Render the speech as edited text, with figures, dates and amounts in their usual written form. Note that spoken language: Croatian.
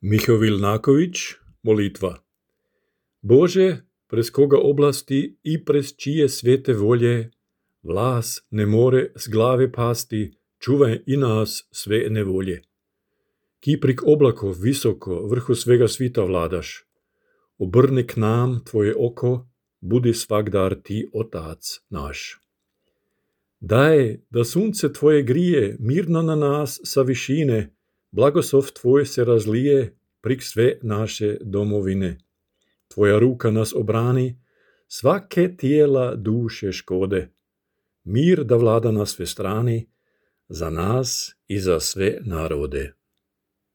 Miho Vilnaković, molitva. Bože, prez koga oblasti i prez čije svete volje vlas ne more s glave pasti, čuvaj i nas sve nevolje. Ki prik oblakov visoko vrhu svega svita vladaš, obrni k nam tvoje oko, budi svakdar ti Otac naš. Daj, da sunce tvoje grije mirno na nas sa višine, blagoslov tvoj se razlije prik sve naše domovine. Tvoja ruka nas obrani, svake tijela duše škode. Mir da vlada na sve strani, za nas i za sve narode.